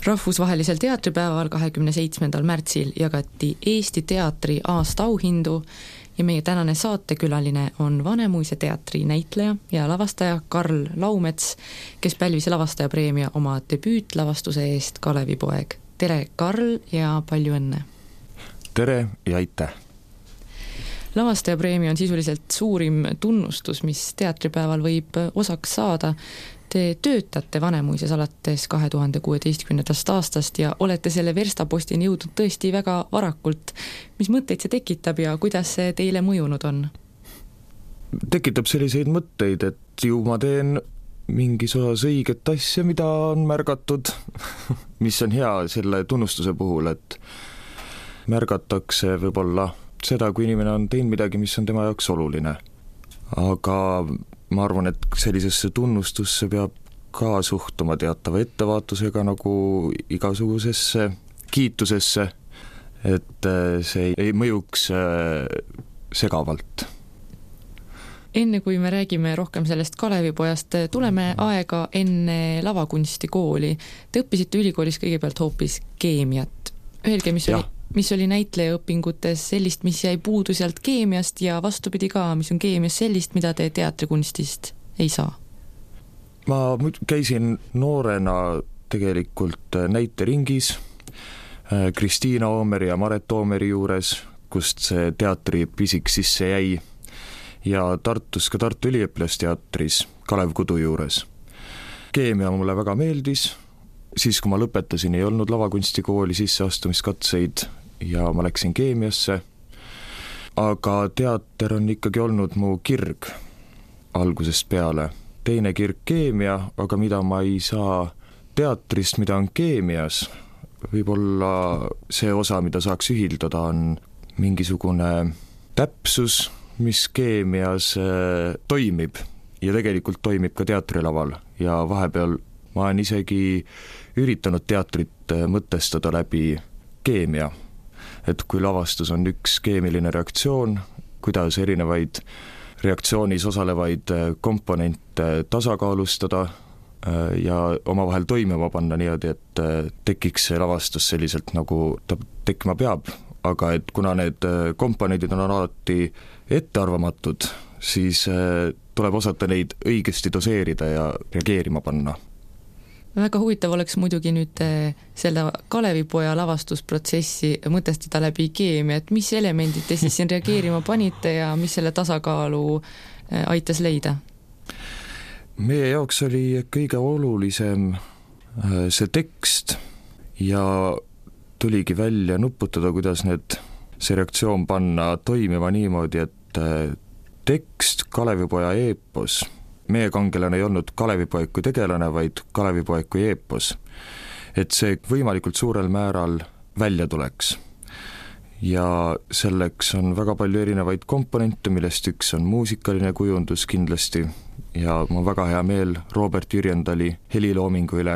Rahvusvahelisel teatripäeval 27. märtsil jagati Eesti teatri aastaauhindu ja meie tänane saatekülaline on Vanemuise teatri näitleja ja lavastaja Karl Laumets, kes pälvis lavastajapreemia oma debüütlavastuse eest Kalevipoeg. Tere, Karl, ja palju õnne! Tere ja aitäh! Lavastajapreemia on sisuliselt suurim tunnustus, mis teatripäeval võib osaks saada. Te töötate Vanemuises alates 2016. aastast ja olete selle verstapostini jõudnud tõesti väga varakult. Mis mõtteid see tekitab ja kuidas see teile mõjunud on? Tekitab selliseid mõtteid, et ju ma teen mingis osas õiget asja, mida on märgatud, mis on hea selle tunnustuse puhul, et märgatakse võib-olla seda, kui inimene on teinud midagi, mis on tema jaoks oluline. Aga ma arvan, et sellisesse tunnustusse peab ka suhtuma teatava ettevaatusega nagu igasugusesse kiitusesse, et see ei mõjuks segavalt. Enne kui me räägime rohkem sellest Kalevipojast, tuleme aega enne lavakunstikooli. Te õppisite ülikoolis kõigepealt hoopis keemiat. Öelge, mis oli näitlejaõpingutes sellist, mis jäi puudu sealt keemiast ja vastupidi ka, mis on keemias sellist, mida te teatrikunstist ei saa? Ma käisin noorena tegelikult näiteringis Kristiina Oomeri ja Maret Oomeri juures, kust see teatri pisik sisse jäi, ja Tartus ka Tartu Üliõpilasteatris Kalev Kudu juures. Keemia mulle väga meeldis, siis kui ma lõpetasin, ei olnud lavakunstikooli sisseastumiskatseid ja ma läksin keemiasse, aga teater on ikkagi olnud mu kirg algusest peale. Teine kirg keemia, aga mida ma ei saa teatrist, mida on keemias, võib-olla see osa, mida saaks ühildada, on mingisugune täpsus, mis keemias toimib ja tegelikult toimib ka teatrilaval ja vahepeal ma olen isegi üritanud teatrit mõtestada läbi keemia, et kui lavastus on üks keemiline reaktsioon, kuidas erinevaid reaktsioonis osalevaid komponente tasakaalustada ja omavahel toimima panna niimoodi, et tekiks see lavastus selliselt, nagu ta tekkima peab, aga et kuna need komponendid on alati ettearvamatud, siis tuleb osata neid õigesti doseerida ja reageerima panna. Väga huvitav oleks muidugi nüüd selle Kalevipoja lavastusprotsessi mõtestada läbi keemia, et mis elemendid te siis siin reageerima panite ja mis selle tasakaalu aitas leida? Meie jaoks oli kõige olulisem see tekst ja tuligi välja nuputada, kuidas see reaktsioon panna toimima niimoodi, et tekst, Kalevipoja eepos, meie kangelane ei olnud Kalevipoeg kui tegelane, vaid Kalevipoeg kui eepos. Et see võimalikult suurel määral välja tuleks. Ja selleks on väga palju erinevaid komponente, millest üks on muusikaline kujundus kindlasti ja mul on väga hea meel Robert Jürjendali heliloomingu üle,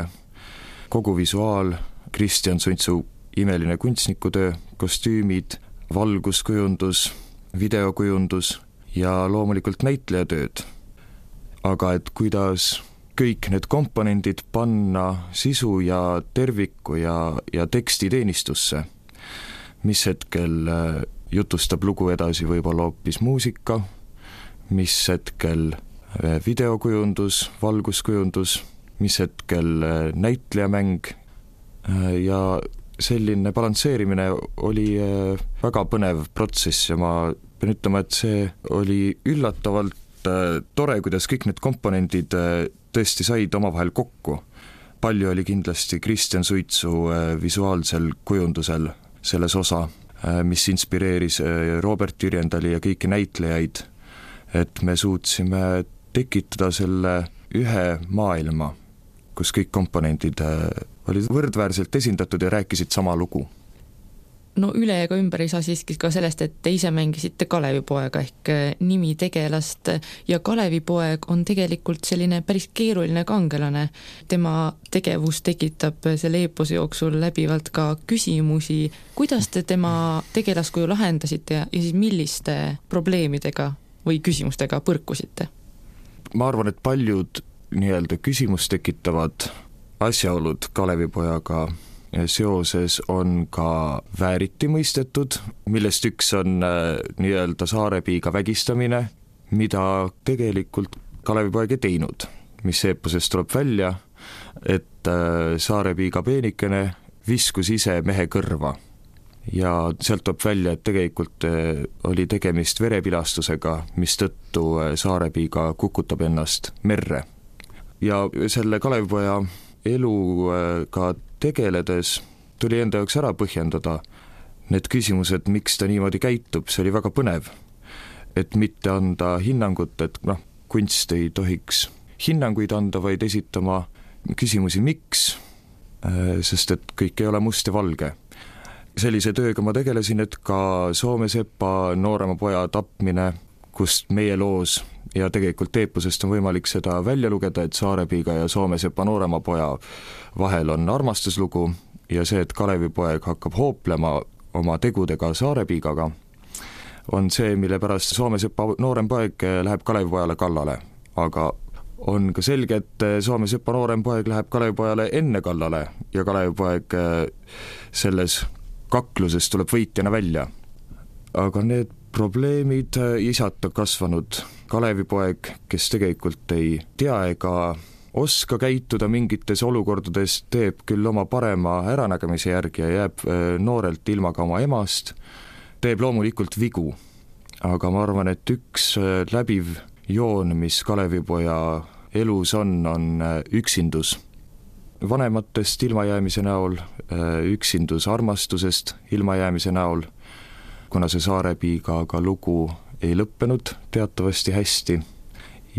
kogu visuaal, Kristjan Suntsu imeline kunstnikutöö, kostüümid, valguskujundus, videokujundus ja loomulikult näitlejatööd. Aga et kuidas kõik need komponendid panna sisu ja terviku ja teksti teenistusse, mis hetkel jutustab lugu edasi võib-olla hoopis muusika, mis hetkel videokujundus, valguskujundus, mis hetkel näitlejamäng ja selline balansseerimine oli väga põnev protsess ja ma pean ütlema, et see oli üllatavalt tore, kuidas kõik need komponendid tõesti said omavahel kokku. Palju oli kindlasti Kristjan Suitsu visuaalsel kujundusel selles osa, mis inspireeris Robert Jürjendali ja kõiki näitlejaid, et me suutsime tekitada selle ühe maailma, kus kõik komponendid olid võrdväärselt esindatud ja rääkisid sama lugu. No üle ega ümber ei saa siiski ka sellest, et te ise mängisite Kalevipoega ehk nimi tegelast ja Kalevipoeg on tegelikult selline päris keeruline kangelane. Tema tegevus tekitab selle eepose jooksul läbivalt ka küsimusi. Kuidas te tema tegelaskuju lahendasite ja siis milliste probleemidega või küsimustega põrkusite? Ma arvan, et paljud nii-öelda küsimust tekitavad asjaolud Kalevipojaga seoses on ka vääriti mõistetud, millest üks on nii-öelda Saarepiiga vägistamine, mida tegelikult Kalevipoeg ei teinud, mis eeposest tuleb välja, et Saarepiiga peenikene viskus ise mehe kõrva ja sealt tuleb välja, et tegelikult oli tegemist verepilastusega, mistõttu Saarepiiga kukutab ennast merre. Ja selle Kalevipoja eluga tegeledes tuli enda jaoks ära põhjendada need küsimused, miks ta niimoodi käitub, see oli väga põnev, et mitte anda hinnangut, et kunst ei tohiks hinnanguid anda, vaid esitama küsimusi miks, sest et kõik ei ole must ja valge. Sellise tööga ma tegelesin, et ka Soomesepa noorema poja tapmine, kust meie loos ja tegelikult eeposest on võimalik seda välja lugeda, et Saarepiiga ja Soomesepa noorema poja vahel on armastuslugu ja see, et Kalevipoeg hakkab hooplema oma tegudega Saarepiigaga, on see, mille pärast Soomesepa noorem poeg läheb Kalevipojale kallale, aga on ka selge, et Soomesepa noorem poeg läheb Kalevipojale enne kallale ja Kalevipoeg selles kakluses tuleb võitjana välja. Aga need probleemid, isata kasvanud Kalevipoeg, kes tegelikult ei tea ega oska käituda mingites olukordades, teeb küll oma parema äranägemise järgi ja jääb noorelt ilma ka oma emast, teeb loomulikult vigu. Aga ma arvan, et üks läbiv joon, mis Kalevipoja elus on üksindus. Vanematest ilmajäämise näol, üksindus armastusest ilmajäämise näol, kuna see Saarepiigaga lugu ei lõppenud teatavasti hästi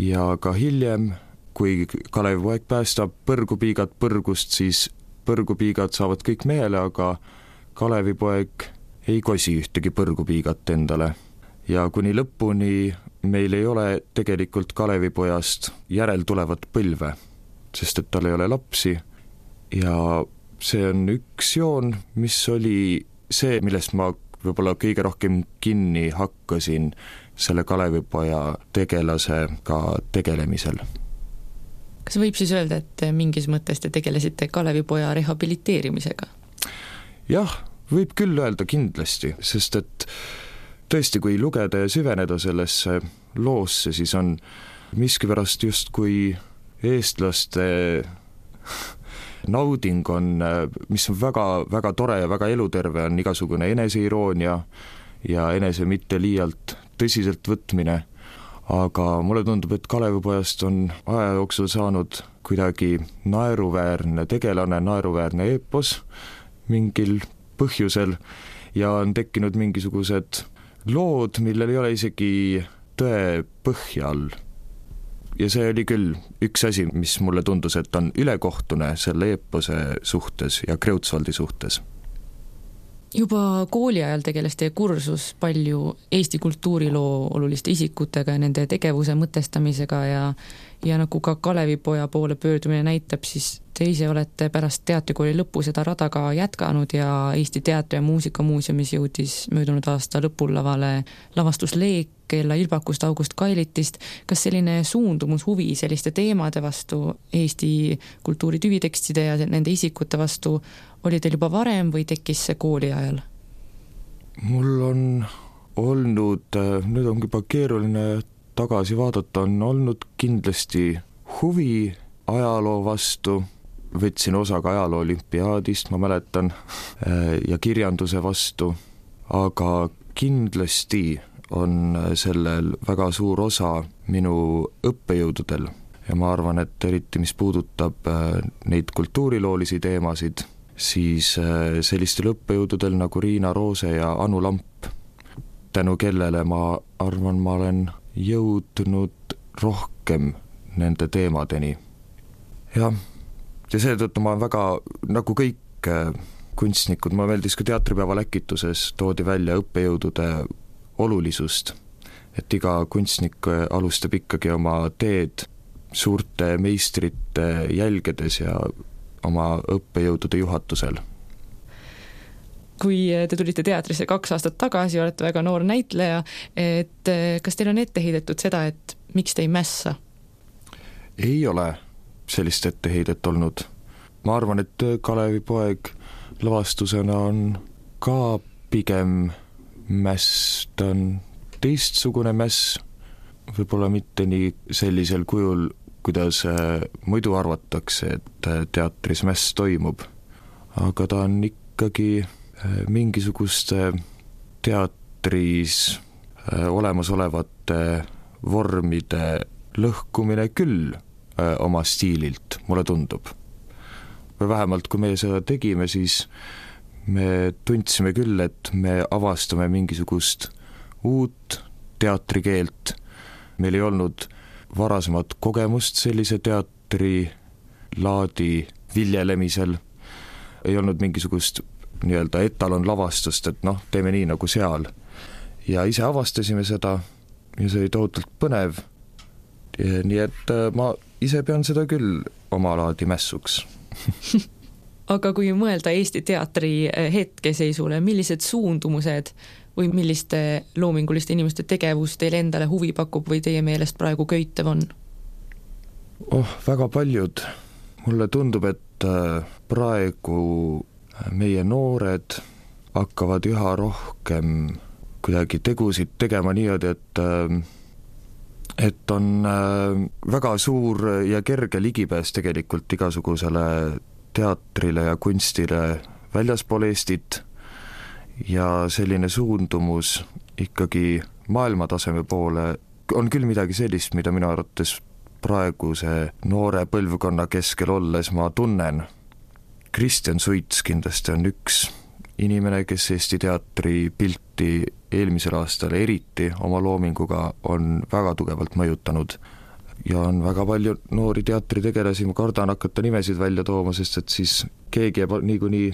ja ka hiljem, kui Kalevipoeg päästab põrgupiigad põrgust, siis põrgupiigad saavad kõik mehele, aga Kalevipoeg ei kosi ühtegi põrgupiigat endale. Ja kuni lõpuni meil ei ole tegelikult Kalevipojast järeltulevat põlve, sest et tal ei ole lapsi ja see on üks joon, mis oli see, millest ma võib-olla kõige rohkem kinni hakkasin selle Kalevipoja tegelasega tegelemisel. Kas võib siis öelda, et mingis mõttes te tegelesite Kalevipoja rehabiliteerimisega? Jah, võib küll öelda kindlasti, sest et tõesti, kui lugeda ja süveneda sellesse loosse, siis on miskipärast just kui eestlaste nauding on, mis on väga, väga tore ja väga eluterve, on igasugune eneseiroonia ja enese mitte liialt tõsiselt võtmine. Aga mulle tundub, et Kalevipojast on aja jooksul saanud kuidagi naeruväärne tegelane, naeruväärne eepos mingil põhjusel ja on tekkinud mingisugused lood, millel ei ole isegi tõe põhja all. Ja see oli küll üks asi, mis mulle tundus, et on ülekohtune selle eepose suhtes ja Kreutzwaldi suhtes. Juba kooli ajal tegeles teie kursus palju Eesti kultuuriloo oluliste isikutega ja nende tegevuse mõtestamisega ja nagu ka Kalevipoja poole pöördumine näitab, siis te ise olete pärast teatrikooli lõppu seda rada ka jätkanud ja Eesti Teatri- ja Muusikamuuseumis jõudis möödunud aasta lõpul lavale lavastus Leek Kella Ilbakust August Kailitist. Kas selline suundumus huvi selliste teemade vastu, Eesti kultuuri tüvitekstide ja nende isikute vastu oli teil juba varem või tekkis see kooli ajal? Mul on olnud, nüüd on juba keeruline tagasi vaadata, on olnud kindlasti huvi ajaloo vastu, võtsin osa ka ajaloo olümpiaadist, ma mäletan, ja kirjanduse vastu, aga kindlasti on sellel väga suur osa minu õppejõududel ja ma arvan, et eriti mis puudutab neid kultuuriloolisi teemasid, siis sellistel õppejõududel nagu Riina Roose ja Anu Lamp, tänu kellele ma arvan, ma olen jõudnud rohkem nende teemadeni. Ja seetõttu ma väga, nagu kõik kunstnikud, ma meeldis ka teatripäeva läkituses toodi välja õppejõudude olulisust, et iga kunstnik alustab ikkagi oma teed suurte meistrite jälgedes ja oma õppejõudude juhatusel. Kui te tulite teatrisse 2 aastat tagasi, olete väga noor näitleja, et kas teil on ette heidetud seda, et miks te ei mässa? Ei ole sellist etteheidet olnud. ma arvan, et Kalevipoeg lavastusena on ka pigem mäss, ta on teistsugune mäss, võib-olla mitte nii sellisel kujul, kuidas muidu arvatakse, et teatris mäss toimub, aga ta on ikkagi mingisuguste teatris olemasolevate vormide lõhkumine küll oma stiililt, mulle tundub. Või vähemalt, kui me seda tegime, siis me tundsime küll, et me avastame mingisugust uut teatrikeelt. Meil ei olnud varasemat kogemust sellise teatrilaadi viljelemisel. Ei olnud mingisugust nii-öelda etalonlavastust, et teeme nii nagu seal. Ja ise avastasime seda ja see oli tohutult põnev. Nii et ma ise pean seda küll oma laadi mässuks. Aga kui mõelda Eesti teatri hetkeseisule, millised suundumused või milliste loominguliste inimeste tegevus teile endale huvi pakub või teie meelest praegu köitev on? Väga paljud. Mulle tundub, et praegu meie noored hakkavad üha rohkem kuidagi tegusid tegema niimoodi, et on väga suur ja kerge ligipääs tegelikult igasugusele teatrile ja kunstile väljaspool Eestit ja selline suundumus ikkagi maailmataseme poole on küll midagi sellist, mida minu arvates praeguse noore põlvkonna keskel olles ma tunnen. Kristjan Suits kindlasti on üks inimene, kes Eesti teatri pilti eelmisel aastal eriti oma loominguga on väga tugevalt mõjutanud. Ja on väga palju noori teatritegelasi, ma kardan hakata nimesid välja tooma, sest et siis keegi jääb niikuinii,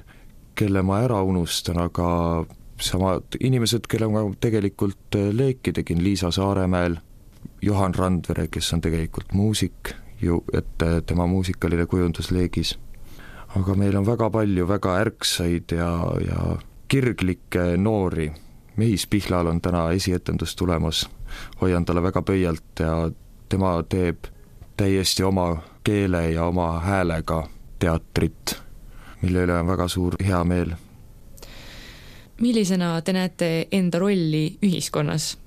kelle ma ära unustan, aga samad inimesed, kelle ma tegelikult leeki tegin, Liisa Saaremäel, Johan Randvere, kes on tegelikult muusik, et tema muusikaline kujundus leegis. Aga meil on väga palju väga ärksaid ja kirglikke noori. Mehis Pihlal on täna esietendus tulemas, hoian talle väga pöialt ja tema teeb täiesti oma keele ja oma häälega teatrit, mille üle on väga suur hea meel. Millisena te näete enda rolli ühiskonnas?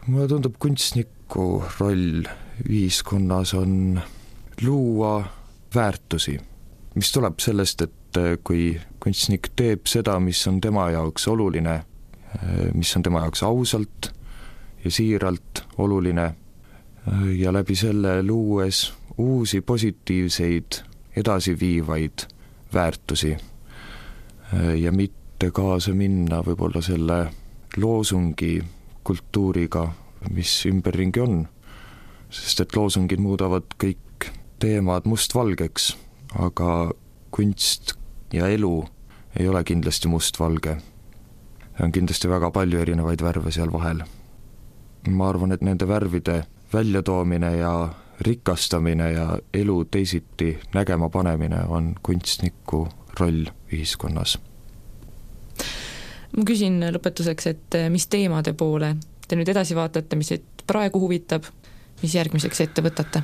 Mulle tundub, kunstniku roll ühiskonnas on luua väärtusi, mis tuleb sellest, et kui kunstnik teeb seda, mis on tema jaoks oluline, mis on tema jaoks ausalt ja siiralt oluline, ja läbi selle luues uusi positiivseid edasiviivaid väärtusi ja mitte kaasa minna võib-olla selle loosungi kultuuriga, mis ümberringi on, sest et loosungid muudavad kõik teemad mustvalgeks, aga kunst ja elu ei ole kindlasti mustvalge. On kindlasti väga palju erinevaid värve seal vahel. Ma arvan, et nende värvide väljatoomine ja rikastamine ja elu teisiti nägema panemine on kunstniku roll ühiskonnas. Ma küsin lõpetuseks, et mis teemade poole te nüüd edasi vaatate, mis praegu huvitab, mis järgmiseks ette võtate?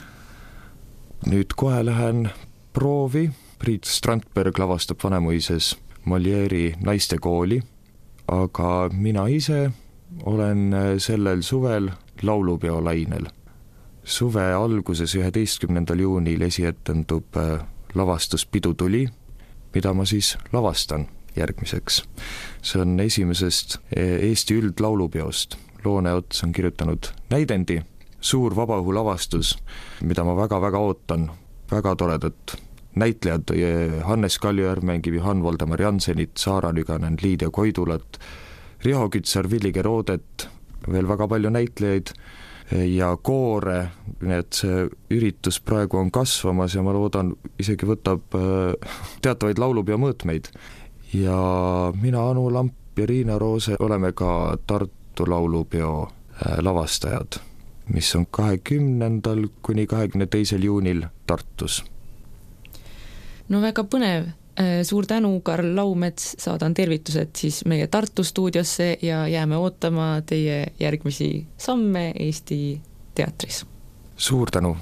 Nüüd kohe lähen proovi. Priit Strandberg lavastab Vanemuises Molieri naistekooli, aga mina ise olen sellel suvel laulupeolainel. Suve alguses 11. juunil esietendub lavastus Pidu tuli, mida ma siis lavastan järgmiseks. See on esimesest Eesti üldlaulupeost. Loone Ots on kirjutanud näidendi, suur vabaõhu lavastus, mida ma väga-väga ootan, väga toredat. Näitlejad Hannes Kaljujärv mängib Johan Voldemar Jansenit, Saara Nüganen, Liidia Koidulat, Riho Kütsar, Villi Gerodet, veel väga palju näitlejaid ja koore, nii et see üritus praegu on kasvamas ja ma loodan, isegi võtab teatavaid laulupeo mõõtmeid. Ja mina, Anu Lamp ja Riina Roose oleme ka Tartu laulupeo lavastajad, mis on 20. kuni 22. juunil Tartus. No väga põnev. Suur tänu, Karl Laumets, saadan tervitused siis meie Tartu stuudiosse ja jääme ootama teie järgmisi samme Eesti teatris. Suur tänu!